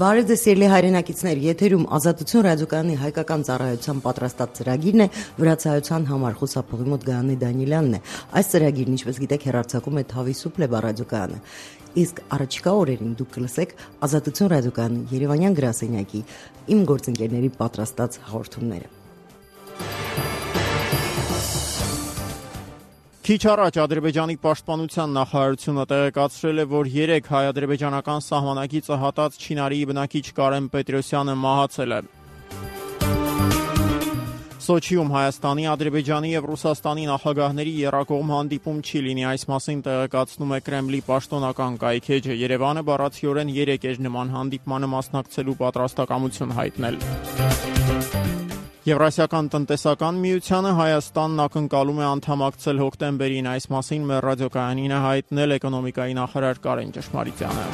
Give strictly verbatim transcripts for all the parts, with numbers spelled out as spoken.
Բարև ձեզ սիրելի հայրենակիցներ, եթերում Ազատություն ռադիոկայանի հայկական ծառայության պատրաստած ծրագիրն է վրացայության համար խուսափողի մոտ Գայանե Դանիելյանն է։ Այս ծրագիրն, ինչպես գիտեք, հեռարձակում է Թավիսու Պլեբա ռադիոկայանը։ Իսկ առաջիկա օրերին դուք կլսեք Ազատություն ռադիոկայանի Երևանյան գրասենյակի իմ գործընկերների պատրաստած հաղորդումները։ Քիչ առաջ Ադրբեջանի պաշտպանության նախարարությունը տեղեկացրել է, որ երեք հայ-ադրբեջանական սահմանակիցը հատած Չինարիի բնակիչ Կարեն Պետրոսյանը մահացել է։ Սոչիում Հայաստանի, Ադրբեջանի եւ Ռուսաստանի նախագահների եռակողմ հանդիպում չի լինի, այս մասին տեղեկացնում է Կրեմլի պաշտոնական կայքէջը։ Երևանը բառացիորեն երեք էր նման հանդիպմանը մասնակցելու պատրաստակամություն հայտնել։ Եվրասիական տնտեսական միությանը Հայաստանն ակնկալում է անդամակցել հոկտեմբերին, այս մասին մեր ռադիոկայանին է հայտնել էկոնոմիկայի նախարար Կարեն Ճշմարիտյանը։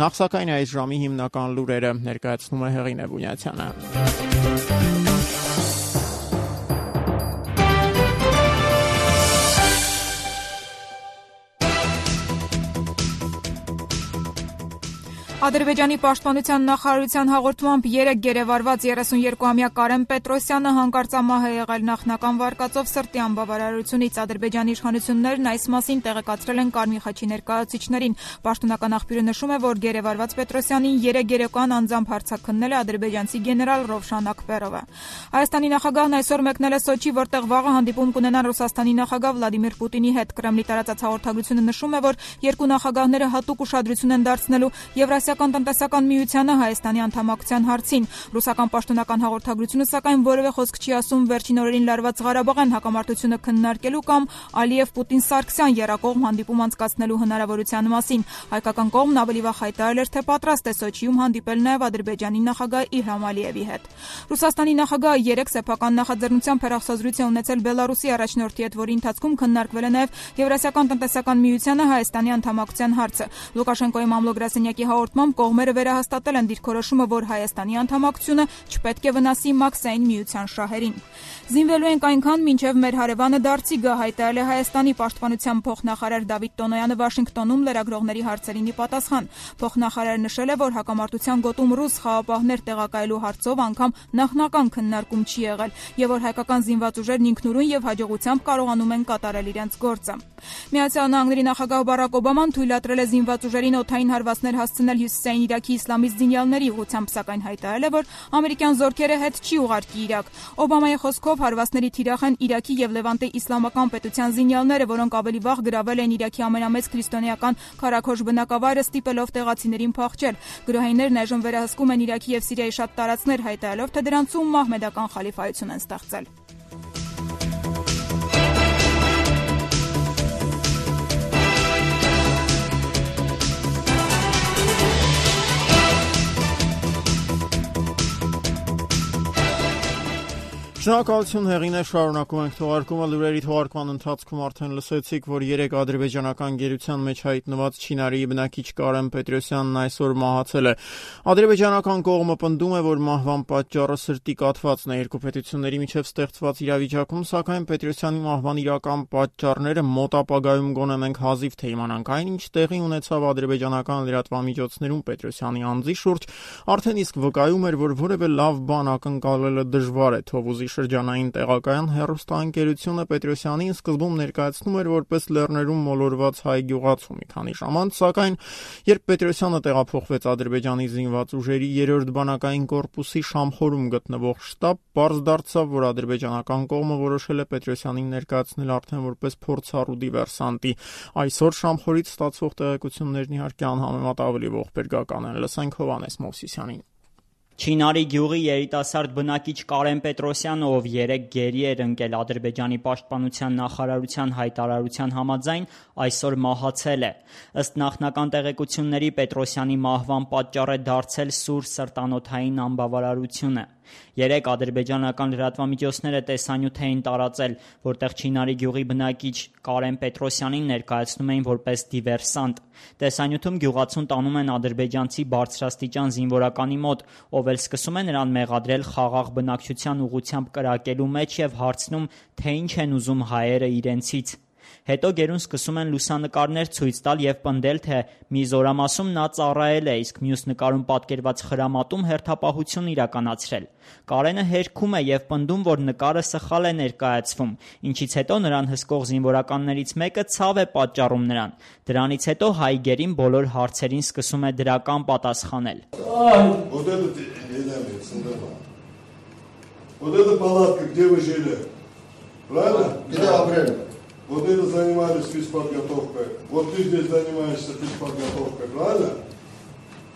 Նախ սակայն այս ժամի հիմնական լուրերը ներկայացնում է Հեղինե Բունյացյանը։ Ադրբեջանի պաշտպանության նախարարության հաղորդմամբ երեք գերեվարված երեսուներկուամյա Կարեն Պետրոսյանը հանկարծամահ է եղել նախնական վարկածով սրտի անբավարարությունից։ Ադրբեջանի իշխանություններն այս մասին տեղեկացրել են Կարմիր խաչի ներկայացուցիչներին։ Պաշտոնական աղբյուրը նշում է, որ գերեվարված Պետրոսյանին երեք երեկոյան անձամբ հարձակքնել է ադրբեջանցի գեներալ Ռովշան Աքբերովը։ Հայաստանի նախագահն այսօր մեկնել է Սոչի, որտեղ վաղը հանդիպում կունենան Ռուսաստանի նախագահ Վլադիմիր Պուտինի հետ։ Կրեմլի տարածած հաղորդագրությունը նշում է, որ երկու նախագահները հատուկ ուշադրություն են դարձնելու Եվրասիական տնտեսական միությանը Հայաստանի անդամակցության հարցին։ Ռուսական պաշտոնական հաղորդագրությունը սակայն որևէ խոսք չի ասում վերջին օրերին լարված Ղարաբաղյան հակամարտությունը քննարկելու կամ Ալիև-Պուտին-Սարգսյան եռակողմ հանդիպում անցկացնելու հնարավորության մասին։ Հայկական կողմն ավելի վաղ հայտարարել էր, թե պատրաստ է Սոչիում հանդիպել նաև Ադրբեջանի նախագահ Իլհամ Ալիևի հետ։ Ռուսաստանի նախագահը երեք սեփական նախաձեռնությամբ հեռախոսազրույց է ունեցել Բելարուսի առաջնորդի հետ, որի ընթացքում քննարկվել է նաև Եվրասիական տնտեսական միությանը Հայաստանի անդամակցության հարցը։ Լուկաշենկոյի մամլո գրասենյակի հաղորդմամբ կողմերը վերահաստատել են դիրքորոշումը, որ Հայաստանի անդամակցությունը չպետք է վնասի Մաքսային միության շահերին։ Զինվելու ենք այնքան, մինչև մեր հարևանը դարձի գա, հայտարարել է Հայաստանի պաշտպանության փոխնախարար Դավիթ Տոնոյանը Վաշինգտոնում լրագրողների հարցերին ի պատասխան։ Փոխնախարարը նշել է, որ հակամարտության գոտում ռուս խաղապահներ տեղակայելու հարցով անգամ նախնական քննարկում չի եղել, եւ որ հայկական զինված ուժերն ինքնուրույն եւ հաջողությամբ կարողանում են կատարել իրենց գործը։ Միացյալ Նահանգների նախագահ Բարակ Օբաման թույլատրել է զինված ուժերին օդային հարվածներ հասցնել Հյուսիսային Իրաքի իսլամիստ զինյալների ուղղությամբ, սակայն հայտարարել է, որ ամերիկյան զորքերը հետ չի ուղարկի Իրաք։ Օբամայի խոսքով հարվածների թիրախ են Իրաքի եւ Լևանտի իսլամական պետության զինյալները, որոնք ավելի վաղ գրավել են Իրաքի ամենամեծ քրիստոնեական քարաքոշ բնակավայրը, ստիպելով տեղացիներին փախչել։ Գրոհայիններն այժմ վերահսկում են Իրաքի եւ Սիրիայի շատ տարածքներ, հայտարարելով, թե դրանցում մահմեդական խալիֆայություն են ստեղծել։ Շնորհակալություն Հեղինե, շարունակում ենք թողարկումը։ Լուրերի թողարկման ընթացքում արդեն լսեցիք, որ երեք ադրբեջանական գերության մեջ հայտնված Չինարիի բնակիչ Կարեն Պետրոսյանն այսօր մահացել է։ Ադրբեջանական կողմը պնդում է, որ մահվան պատճառը սրտի կաթվածն է։ Երկու պետությունների միջև ստեղծված իրավիճակում, սակայն Պետրոսյանի մահվան իրական պատճառները մոտ ապագայում գոնե մենք հազիվ թե իմանանք։ Այն, ինչ տեղի ունեցավ ադրբեջանական լրատվամիջոցներում Պետրոսյանի անձի շուրջ, արդեն իսկ վկայում էր, որ որևէ լավ բան ակնկալելը դժվար է։ Թովուզի շրջանային տեղակայան հեռուստաընկերությունը Պետրոսյանին սկզբում ներկայացնում էր որպես Լեռներում մոլորված հայ գյուղացու մի քանի ժամ անց, սակայն երբ Պետրոսյանը տեղափոխվեց Ադրբեջանի զինված ուժերի երրորդ բանակային կորպուսի Շամխորում գտնվող շտաբ, պարզ դարձավ, որ ադրբեջանական կողմը որոշել է Պետրոսյանին ներկայացնել արդեն որպես փորձառու դիվերսանտի։ Այսօր Շամխորից ստացվող տեղեկություններն իհարկե անհամեմատ ավելի ողբերգական են։ Լսենք Հովհաննես Մովսիսյանին։ Չինարի գյուղի երիտասարդ բնակիչ Կարեն Պետրոսյանը, ով երեք գերի էր ընկել Ադրբեջանի պաշտպանության նախարարության հայտարարության համաձայն, այսօր մահացել է։ Ըստ նախնական տեղեկությունների Պետրոսյանի մահվան պատճառ է դարձել սուր սրտանոթային անբավարարությունը։ Երեք ադրբեջանական լրատվամիջոցները տեսանյութ էին տարածել, որտեղ Չինարի գյուղի բնակիչ Կարեն Պետրոսյանին ներկայացնում էին որպես դիվերսանտ։ Տեսանյութում գյուղացուն տանում են ադրբեջանցի բարձրաստիճան զինվորականի մոտ, ով էլ սկսում է նրան մեղադրել խաղաղ բնակչության ուղղությամբ կրակելու մեջ եւ հարցնում, թե ինչ են ուզում հայերը իրենցից։ Հետո գերուն սկսում են լուսանկարներ ցույց տալ եւ պնդել, թե մի զորամասում նա ծառայել է, իսկ մյուս նկարում պատկերված խրամատում հերթապահություն իրականացրել։ Կարենը հերքում է եւ պնդում, որ նկարը սխալ է ներկայացվում, ինչից հետո նրան հսկող զինվորականներից մեկը ցավ է պատճառում նրան։ Դրանից հետո հայ գերին բոլոր հարցերին սկսում է դրական պատասխանել։ Вот эта палатка, где вы жили? Правильно? Где апрель? Вот это занимались физподготовкой. Вот ты здесь занимаешься физподготовкой, правильно?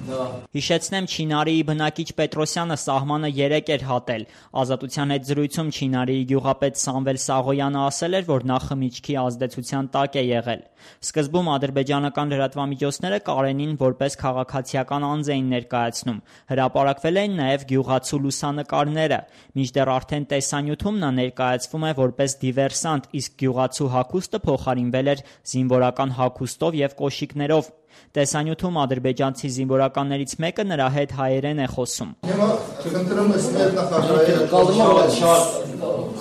Հիշեցնեմ, Չինարիի բնակիչ Պետրոսյանը սահմանը երեք էր հատել։ Ազատության հետ զրույցում Չինարիի գյուղապետ Սամվել Սաղոյանը ասել էր, որ նա խմիչքի ազդեցության տակ է եղել։ Սկզբում ադրբեջանական լրատվամիջոցները Կարենին որպես քաղաքացիական անձ էին ներկայացնում։ Հրապարակվել էին նաև գյուղացու լուսանկարները, մինչդեռ արդեն տեսանյութում նա ներկայացվում է որպես դիվերսանտ, իսկ գյուղացու հագուստը փոխարինվել էր զինվորական հագուստով եւ կոշիկներով։ Տեսանյութում ադրբեջանցի զինվորականներից մեկը նրա հետ հայերեն է խոսում։ Հիմա խնդրում ես մեր նախագահի շատ շատ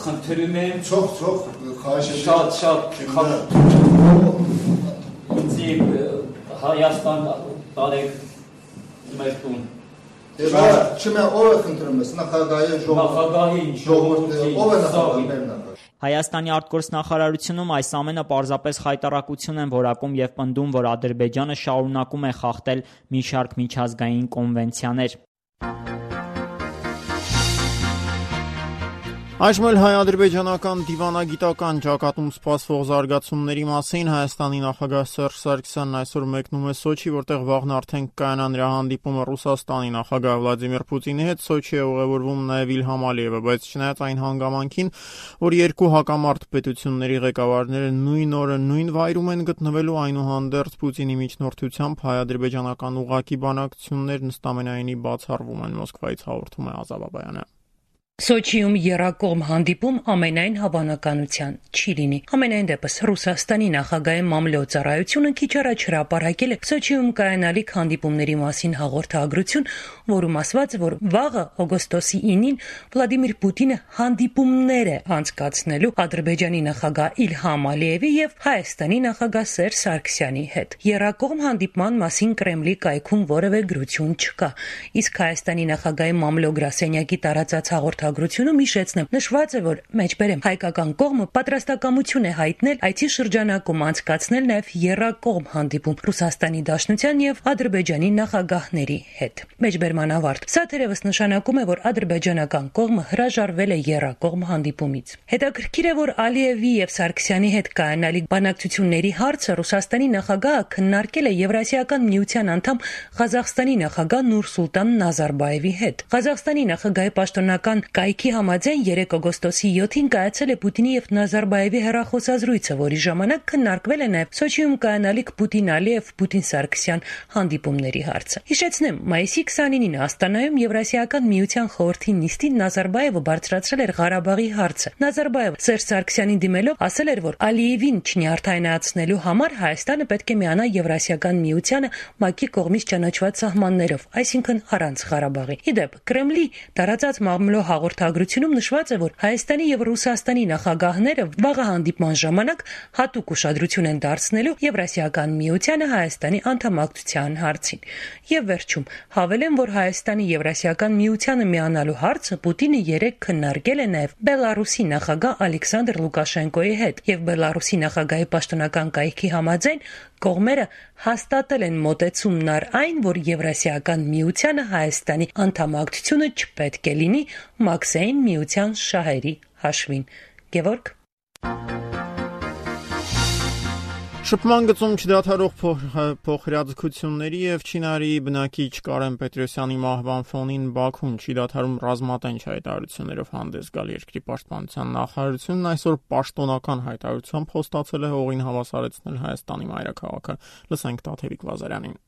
խնդրում եմ ցող ցող խաչի շատ շատ ինձի Հայաստան տարեք մեր տուն։ Դե չմե ով է խնդրում ես նախագահի ժողովրդի ժողովրդի ով է նախագահի։ Հայաստանի արտգործնախարարությունում այս ամենը պարզապես խայտարակություն են որակում եւ պնդում, որ Ադրբեջանը շարունակում է խախտել մի շարք միջազգային կոնվենցիաներ։ Այժմ էլ հայ-ադրբեջանական դիվանագիտական ճակատում սպասվող զարգացումների մասին Հայաստանի նախագահ Սերժ Սարգսյանն այսօր մեկնում է Սոչի, որտեղ վաղն արդեն կայանա նրա հանդիպումը Ռուսաստանի նախագահ Վլադիմիր Պուտինի հետ։ Սոչի է ուղևորվում նաև Իլհամ Ալիևը, բայց չնայած այն հանգամանքին, որ երկու հակամարտ պետությունների ղեկավարները նույն օրը նույն վայրում են գտնվելու, այնուհանդերձ Պուտինի միջնորդությամբ հայ-ադրբեջանական ուղղակի բանակցություններն ըստամենայնի բացառվում են, Մոսկվայից հաղորդում է Ազա Բաբայանը։ Սոչիում եռակողմ հանդիպում ամենայն հավանականության չի լինի։ Ամենայն դեպս Ռուսաստանի նախագահի մամլոյ-ծառայությունը քիչ առաջ հրապարակել է Սոչիում կայանալիք հանդիպումների մասին հաղորդագրություն, որում ասված է, որ վաղը օգոստոսի ինին Վլադիմիր Պուտինը հանդիպումներ է անցկացնելու Ադրբեջանի նախագահ Իլհամ Ալիևի եւ Հայաստանի նախագահ Սերժ Սարգսյանի հետ։ Եռակողմ հանդիպման մասին Կրեմլի կայքում որևէ գրություն չկա, իսկ Հայաստանի նախագահի մամլո-գրասենյակի տարածած հաղորդագրությունը Ագրությունում հիշեցնեմ, նշված է, որ մեջբերեմ հայկական կողմը պատրաստակամություն է հայտնել այցի շրջանակում անցկացնել նաև եռակողմ հանդիպում Ռուսաստանի Դաշնության եւ Ադրբեջանի նախագահների հետ։ Մեջբերման ավարտ։ Սա թերևս նշանակում է, որ ադրբեջանական կողմը հրաժարվել է եռակողմ հանդիպումից։ Հետաքրքիր է, որ Ալիևի եւ Սարգսյանի հետ կայանալիք բանակցությունների հարցը Ռուսաստանի նախագահը քննարկել է Եվրասիական միության անդամ Ղազախստանի նախագահ Նուրսուլտան Նազարբաևի հետ։ Ղազախստանի նախագահի պաշտոնական կայքի համաձայն երեք օգոստոսի յոթին կայացել է Պուտինի եւ Նազարբաևի հեռախոսազրույցը, որի ժամանակ քննարկվել է նաեւ Սոչիում կայանալիք Պուտին-Ալիև Պուտին-Սարգսյան հանդիպումների հարցը։ Հիշեցնեմ, մայիսի քսանինին Աստանայում Եվրասիական միության խորհրդի նիստին Նազարբաևը բարձրացրել էր Ղարաբաղի հարցը։ Նազարբաևը Սերժ Սարգսյանին դիմելով ասել էր, որ Ալիևին չնյարդայնացնելու համար Հայաստանը պետք է միանա Եվրասիական միությանը ՄԱԿ-ի կողմից ճանաչված սահմաններով, այսինքն առանց Ղարաբաղի։ Իդեպ Կրեմլի տարածած մամլո հաղորդագրությունում նշված է, որ Հայաստանի եւ Ռուսաստանի նախագահները վաղը հանդիպման ժամանակ հատուկ ուշադրություն են դարձնելու Եվրասիական միությանը Հայաստանի անդամակցության հարցին։ Եվ վերջում հավելեմ, որ Հայաստանի Եվրասիական միությանը միանալու հարցը Պուտինը երեք քննարկել է նաեւ Բելարուսի նախագահ Ալեքսանդր Լուկաշենկոյի հետ եւ Բելարուսի նախագահի պաշտոնական կայքի համաձայն կողմերը հաստատել են մոտեցումն առ այն, որ Եվրասիական միությանը Հայաստանի անդամակցությունը չպետք է լինի Մաքսեին միության շահերի հաշվին։ Գևորգ Շփման գծում չդադարող փոխհրաձգությունների եւ Չինարիի բնակիչ Կարեն Պետրոսյանի մահվան ֆոնին Բաքուն չի դադարում ռազմատենչ հայտարարություններով հանդես գալ երկրի պաշտպանության նախարարությունն այսօր պաշտոնական հայտարարությամբ խոստացել է հողին հավասարեցնել Հայաստանի մայրաքաղաքը։ Լսենք Տաթևիկ Վազարյանին։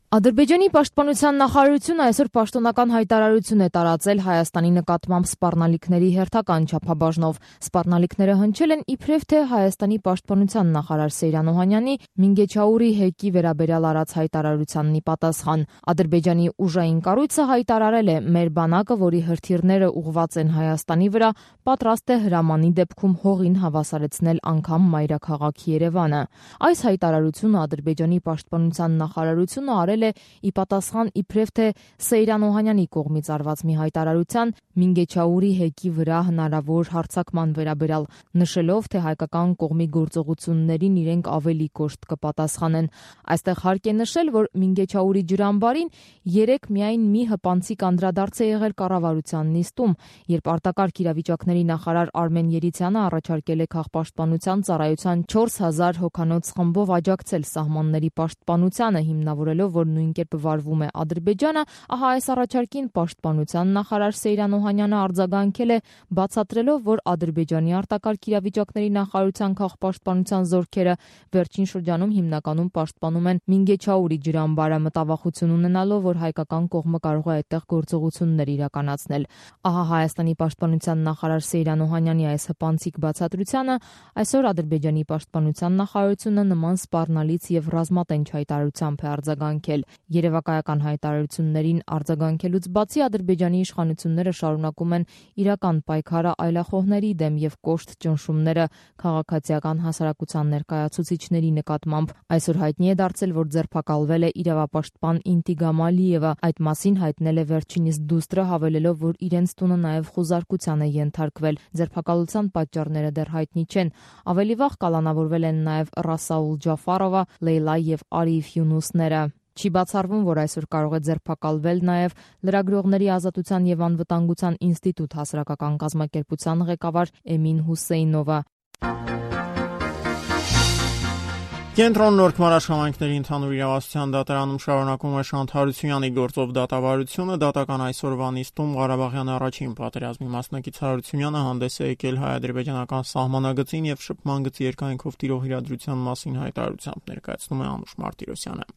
Ադրբեջանի պաշտպանության նախարարությունը այսօր պաշտոնական հայտարարություն է տարածել Հայաստանի նկատմամբ սպառնալիքների հերթական չափաբաժնով։ Սպառնալիքները հնչել են իբրև թե Հայաստանի պաշտպանության նախարար Սեյրան Օհանյանի Մինգեչաուրի հեկի վերաբերյալ արած հայտարարությանն ի պատասխան։ Ադրբեջանի ուժային կառույցը հայտարարել է՝ մեր բանակը, որի հրթիռները ուղղված են Հայաստանի վրա, պատրաստ է հրամանի դեպքում հողին հավասարեցնել անգամ մայրաքաղաք Երևանը։ Այս հայտարարությունը Ադրբեջանի պաշտպանության նախարարությունը արել է ի պատասխան իբրև թե Սեյրան Օհանյանի կողմից արված մի հայտարարության Մինգեչաուրի հեկի վրա հնարավոր հարձակման վերաբերյալ, նշելով, թե հայկական կողմի գործողություններին իրենք ավելի կոշտ կպատասխանեն։ Այստեղ հարկ է նշել, որ Մինգեչաուրի ջրամբարին երեք միայն մի հպանցիկ անդրադարձ է եղել կառավարության նիստում, երբ արտակարգ իրավիճակների նախարար Արմեն Երիցյանը առաջարկել է քաղաքապաշտպանության ծառայության չորս հազար հոգանոց խմբով աջակցել սահմանների պաշտպանությանը, հիմնավորելով, որ նույն կերպ վարվում է Ադրբեջանը, ահա այս առաջարկին պաշտպանության նախարար Սեյրան Օհանյանը արձագանքել է, բացատրելով, որ Ադրբեջանի արտակարգ իրավիճակների նախարարության քաղաքապաշտպանության զորքերը վերջին շրջանում հիմնականում պաշտպանում են Մինգեչաուրի ջրամբարը, մտավախություն ունենալով, որ հայկական կողմը կարող է այդտեղ գործողություններ իրականացնել։ Ահա Հայաստանի պաշտպանության նախարար Սեյրան Օհանյանի այս հպանցիկ բացատրությանը այսօր Ադրբեջանի պաշտպանության նախարարությունը նման սպառնալից եւ ռազմատենչ հայտարարությամբ է արձագանքել։ Երևակայական հայտարարություններին արձագանքելուց բացի Ադրբեջանի իշխանությունները շարունակում են իրական պայքարը այլախոհների դեմ եւ կոշտ ճնշումները քաղաքացիական հասարակության ներկայացուցիչների նկատմամբ։ Այսօր հայտնի է դարձել, որ ձերբակալվել է իրավապաշտպան Ինտիգամ Ալիևը։ Այդ մասին հայտնել է վերջինիս դուստրը, հավելելով, որ իրենց տունը նաեւ խուզարկության է ենթարկվել։ Ձերբակալության պատճառները դեռ հայտնի չեն։ Ավելի վաղ կալանավորվել են նաեւ Ռասաուլ Ջաֆարովը, Լեյլա եւ Արիֆ Յունուսները։ Չի բացառվում, որ այսօր կարող է ձերբակալվել նաև Լրագրողների ազատության եւ անվտանգության ինստիտուտ հասարակական կազմակերպության ղեկավար Էմին Հուսեյնովը։ Կենտրոն Նորք մարաշխամայնքների ընդհանուր իրավասության դատարանում շարունակում է Շանթ Հարությունյանի գործով դատավարությունը։ Դատական այսօրվա նիստում Ղարաբաղյան առաջին պատերազմի մասնակից Հարությունյանը հանդես է եկել հայ-ադրբեջանական սահմանագծին եւ շփման գծի երկայնքով տիրող իրադրության մասին հայտարարությամբ, ներկայացնում է Անուշ Մարտիրոսյանը։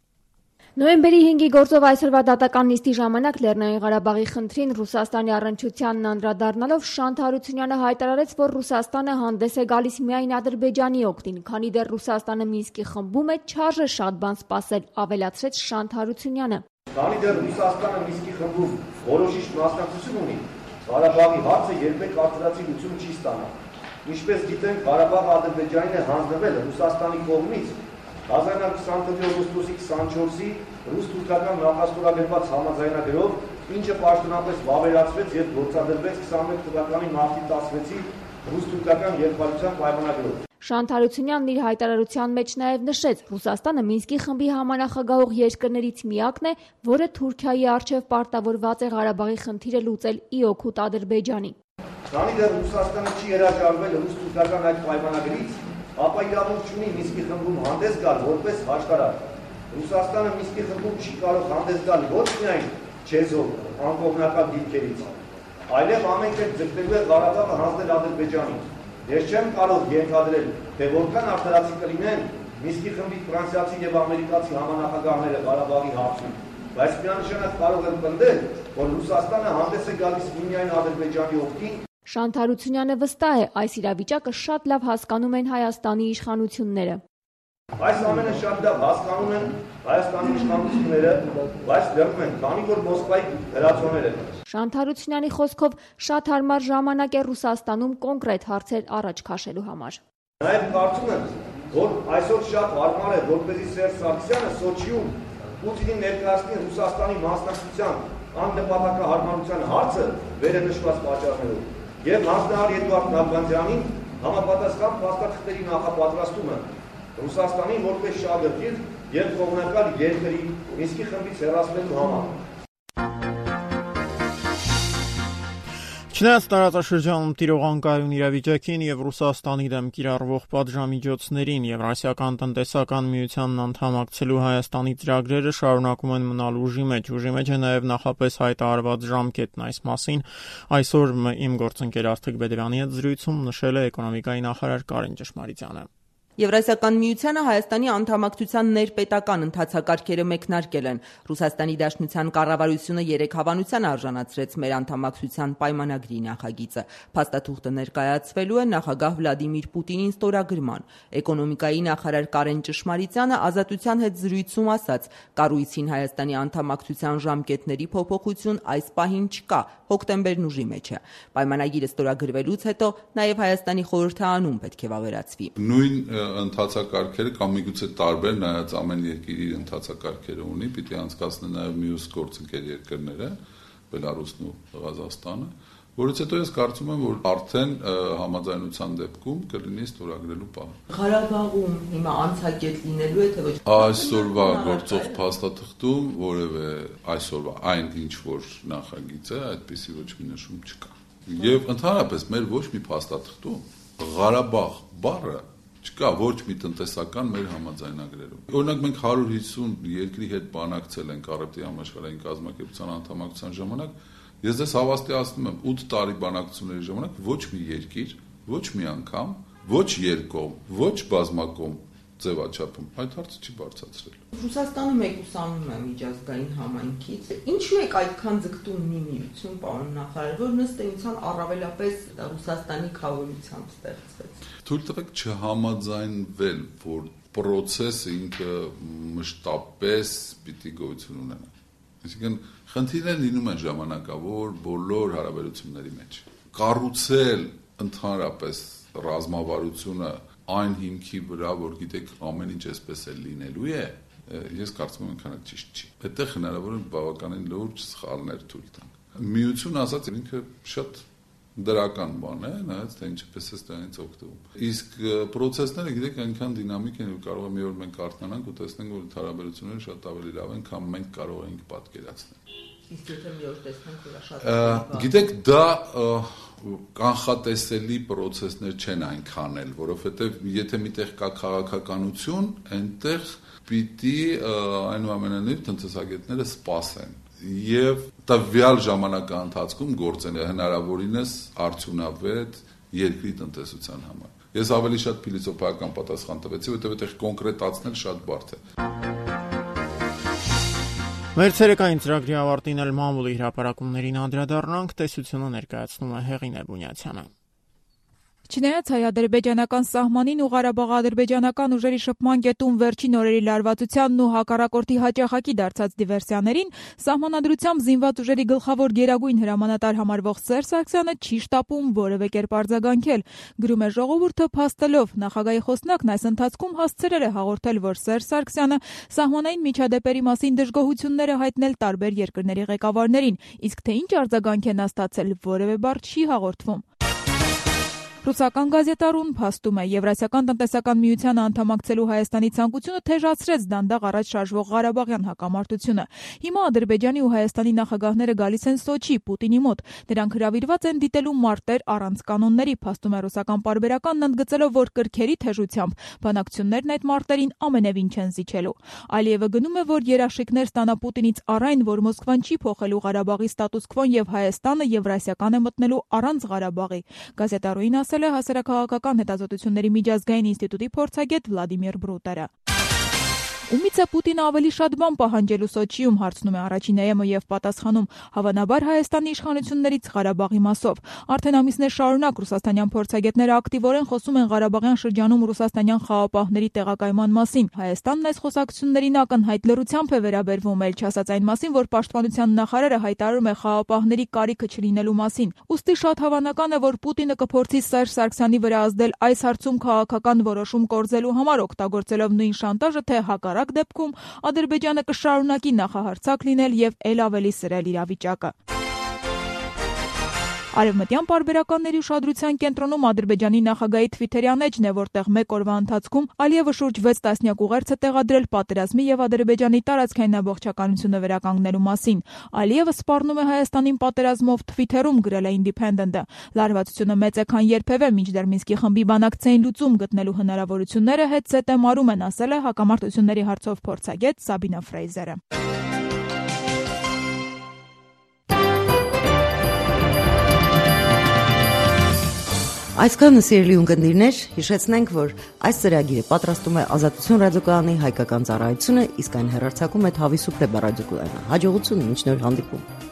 Նոյեմբերի հինգի գործով այսօրվա դատական նիստի ժամանակ Լեռնային Ղարաբաղի խնդրին Ռուսաստանի առնչությանն անդրադառնալով Շանթ Հարությունյանը հայտարարեց, որ Ռուսաստանը հանդես է գալիս միայն Ադրբեջանի օգտին, քանի դեռ Ռուսաստանը Մինսկի խմբում է, չարժե շատ բան սպասել, ավելացրեց Շանթ Հարությունյանը։ Քանի դեռ Ռուսաստանը Մինսկի խմբում որոշիչ մասնակցություն ունի, Ղարաբաղի հարցը երբեք արդարացի լուծում չի ստանա։ Ինչպես գիտենք, Ղարաբաղը Ադրբեջանին է հանձնվել Ռուսաստանի կողմից հազար իննսուն ութ օգոստոսի քսանչորսի ռուս-թուրքական նախաստորագրված համաձայնագրով, ինչը պաշտոնապես վավերացվեց եւ գործադրվեց քսանմեկ թվականի մարտի տասնվեցի ռուս-թուրքական երկխոսության պայմանագրով։ Շանթ Հարությունյանն իր հայտարարության մեջ նաև նշեց, Ռուսաստանը Մինսկի խմբի համանախագահող երկրներից միակն է, որը Թուրքիայի առջև պարտավորված է Ղարաբաղի խնդիրը լուծել ի օգուտ Ադրբեջանի։ Քանի դեռ Ռուսաստանը չի հրաժարվել ռուս-թուրքական այդ պայմանագրից, ապա իրավունք չունի Մինսկի խմբում հանդես գալ որպես հաշտարար։ Ռուսաստանը Մինսկի խմբում չի կարող հանդես գալ ոչ միայն չեզոք անկողմնակալ դիրքերից, այլև ամեն կերպ ձգտելու է Ղարաբաղը հանձնել Ադրբեջանին։ Ես չեմ կարող ենթադրել, թե որքան արդարացի կլինեն Մինսկի խմբի ֆրանսիացի եւ ամերիկացի համանախագահները Ղարաբաղի հարցում, բայց միանշանակ կարող եմ պնդել, որ Ռուսաստանը հանդես է գալիս միայն Ադրբեջանի օգտին։ Շանթ Հարությունյանը վստահ է, այս իրավիճակը շատ լավ հասկանում են Հայաստանի իշխանությունները։ Այս ամենը շատ լավ հասկանում են Հայաստանի իշխանությունները, բայց լրում են, քանի որ Մոսկվայի հրացոներ են։ Շանթ Հարությունյանի խոսքով շատ հարմար ժամանակ է Ռուսաստանում կոնկրետ հարցեր առաջ քաշելու համար։ Նաև կարծում եմ, որ այսօր շատ հարմար է, որպեսզի Սերժ Սարգսյանը Սոչիում Պուտինին ներկայացնի Ռուսաստանի մասնակցության աննպատակահարմարության հարցը վերը նշված պատճառներով եւ հանձնարար Էդուարդ Նալբանդյանին համապատասխան փաստաթղթերի նախապատրաստումը Ռուսաստանին որպես շահագրգիռ եւ կողմնակալ երկրի Մինսկի խմբից հեռացնելու համար։ Չնայած տարածաշրջանում տիրող անկայուն իրավիճակին եւ Ռուսաստանի դեմ կիրառվող պատժամիջոցներին Եվրասիական տնտեսական միությանն անդամակցելու Հայաստանի ծրագրերը շարունակում են մնալ ուժի մեջ։ Ուժի մեջ է նաեւ նախապես հայտարարված ժամկետն այս մասին այսօր իմ գործընկեր Արթիկ Բեդրյանի հետ զրույցում նշել է էկոնոմիկայի նախարար Կարեն Ճշմարիտյանը։ Եվրասիական միությանը Հայաստանի անդամակցության ներպետական ընթացակարգերը մեկնարկել են։ Ռուսաստանի Դաշնության կառավարությունը երեք հավանության արժանացրեց մեր անդամակցության պայմանագրի նախագիծը։ Փաստաթուղթը ներկայացվելու է նախագահ Վլադիմիր Պուտինին ստորագրման։ Էկոնոմիկայի նախարար Կարեն Ճշմարիտյանը Ազատության հետ զրույցում ասաց. կառույցին Հայաստանի անդամակցության ժամկետների փոփոխություն այս պահին չկա, հոկտեմբերն ուժի մեջ է։ Պայմանագիրը ստորագրվելուց հետո նաև Հայաստանի խորհրդանուն պետք է վավերացվի։ Նույն ընթացակարգերը կամ միգուցե տարբեր, նայած ամեն երկիր իր ընթացակարգերը ունի, պիտի անցկացնի նաև մյուս գործընկեր երկրները, Բելարուսն ու Ղազախստանը, որից հետո ես կարծում եմ, որ արդեն համաձայնության դեպքում կլինի ստորագրելու պահը։ Ղարաբաղում հիմա անցակետ լինելու է, թե ոչ։ Այսօրվա գործող փաստաթղթում որևէ այսօրվա այն ինչ որ նախագիծ է, այդպիսի ոչ մի նշում չկա։ Եվ ընդհանրապես մեր ոչ մի փաստաթղթում Ղարաբաղ բառը չկա ոչ մի տնտեսական մեր համաձայնագրերում։ Օրինակ մենք հարյուր հիսուն երկրի հետ բանակցել ենք Առևտրի համաշխարհային կազմակերպության անդամակցության ժամանակ, ես դες հավաստիացնում եմ ութ տարի բանակցությունների ժամանակ ոչ մի երկիր, ոչ մի անգամ, ոչ երկկողմ, ոչ բազմակողմ ձևաչափում այդ հարցը չի բարձրացրել։ Ռուսաստանը մեկուսանում է միջազգային համայնքից։ Ինչու է այդքան ձգտում մի միություն, պարոն նախարար, որ ըստ էության առավելապես Ռուսաստանի քավորությամբ ստեղծվեց։ Թույլ տվեք չհամաձայնվել, որ process-ը ինքը մշտապես պիտի գոյություն ունենա։ Այսինքն խնդիրները լինում են ժամանակավոր բոլոր հարաբերությունների մեջ։ Կառուցել ընդհանրապես ռազմավարությունը այն հիմքի վրա, որ գիտեք ամեն ինչ այսպես է լինելու է, ես կարծում եմ այնքան ճիշտ չի։ Այդտեղ հնարավոր է բավականին լուրջ սխալներ թույլ տանք։ Միություն ասած ինքը շատ դրական բան է, նայած թե ինչպես է դրանից օգտվում։ Իսկ process-ները գիտեք այնքան դինամիկ են, որ կարող է մի օր մենք արթնանանք ու տեսնենք, որ հարաբերությունները շատ ավելի լավ են, քան մենք կարող ենք պատկերացնել։ Իսկ եթե մի օր տեսնենք, որ շատ գիտեք, դա կանխատեսելի process-ներ չեն այնքան էլ, որովհետև եթե միտեղ կա քաղաքականություն, այնտեղ պիտի այնուամենայնիվ տնտեսագետները սպասեն եւ տվյալ ժամանակահատվածում գործեն հնարավորինս արդյունավետ երկրի տնտեսության համար։ Ես ավելի շատ փիլիսոփայական պատասխան տվեցի, որտեղ այդտեղ կոնկրետացնել շատ բարդ է։ Մեր ցերեկային ծրագրի ավարտին էլ մամուլի հրապարակումներին անդրադառնանք, տեսությունը ներկայացնում է Հեղինե Բունյացյանը։ Չնայած հայ-ադրբեջանական սահմանին ու Ղարաբաղ-ադրբեջանական ուժերի շփման կետում վերջին օրերի լարվածությանն ու հակառակորդի հաճախակի դարձած դիվերսիաներին, սահմանադրությամբ զինված ուժերի գլխավոր գերագույն հրամանատար համարվող Սերժ Սարգսյանը չի շտապում որևէ կերպ արձագանքել։ Գրում է ժողովուրդը փաստելով, նախագահի խոսնակն այս ընթացքում հասցրել է հաղորդել, որ Սերժ Սարգսյանը սահմանային միջադեպերի մասին դժգոհություններ է հայտնել տարբեր երկրների ղեկավարներին, իսկ թե ինչ արձագանք են ստացել, որևէ բառ չի հաղորդվում։ Ռուսական գազետարուն փաստում է, Եվրասիական տնտեսական միությանը անդամակցելու Հայաստանի ցանկությունը թեժացրեց դանդաղ առաջ շարժվող Ղարաբաղյան հակամարտությունը։ Հիմա Ադրբեջանի ու Հայաստանի նախագահները գալիս են Սոչի, Պուտինի մոտ։ Նրանք հրավիրված են դիտելու մարտեր առանց կանոնների, փաստում է ռուսական պարբերականն ընդգծելով, որ կրքերի թեժությամբ բանակցություններն այդ մարտերին ամենևին չեն զիջելու։ Ալիևը գնում է, որ երաշխիքներ ստանա Պուտինից առայն, որ Մոսկվան չի փոխելու Ղարաբաղի ստատուս քվոն եւ Հայաստանը Եվրասիական է մտնելու առանց Ղարաբաղի։ Գազետարույն ասել է հասարակահաղական հետազոտությունների միջազգային ինստիտուտի փորձագետ Վլադիմիր Բրուտերը։ Ումից է Պուտինը ավելի շատ բան պահանջելու Սոչիում, հարցնում է առաջին է ԵՄ եւ պատասխանում, հավանաբար Հայաստանի իշխանություններից Ղարաբաղի մասով։ Արդեն ամիսներ շարունակ ռուսաստանյան փորձագետները ակտիվորեն խոսում են Ղարաբաղյան շրջանում ռուսաստանյան խաղապահների տեղակայման մասին։ Հայաստանն այս խոսակցություններին ակնհայտ լռությամբ է վերաբերվում, ել չասած այն մասին, որ պաշտպանության նախարարը հայտարարում է խաղապահների կարիքը չլինելու մասին։ Ուստի շատ հավանական է, որ Պուտինը կփորձի Սերժ Սարգսյանի վրա ազդել այս հարցում քաղաքական որոշում կորզելու համար, օգտագործելով նույն շանտաժը, թե հակառակ դեպքում Ադրբեջանը կշարունակի նախահարցակ լինել եւ ել ավելի սրել իրավիճակը։ Արևմտյան պարբերականների ուշադրության կենտրոնում Ադրբեջանի նախագահի թվիթերյան էջն է, որտեղ մեկ օրվա ընթացքում Ալիևը շուրջ վեց տասնյակ ուղերձ է տեղադրել պատերազմի եւ Ադրբեջանի տարածքային ամբողջականությունը վերականգնելու մասին։ Ալիևը սպառնում է Հայաստանին պատերազմով թվիթերում, գրել է Independent-ը։ Լարվածությունը մեծ է, քան երբևէ, մինչդեռ Մինսկի խմբի բանակցային լուծում գտնելու հնարավորությունները հետզհետե մարում են, ասել է հակամարտությունների հարցով փորձագետ Սաբինա Ֆրեյզերը։ Այսքանը սիրելի ունկնդիրներ, հիշեցնենք, որ այս ծրագիրը պատրաստում է Ազատություն ռադիոկայանի հայկական ծառայությունը, իսկ այն հեռարձակում է Թավի Սուպլե ռադիոկայանը։ Հաջողություն, մինչ նոր հանդիպում։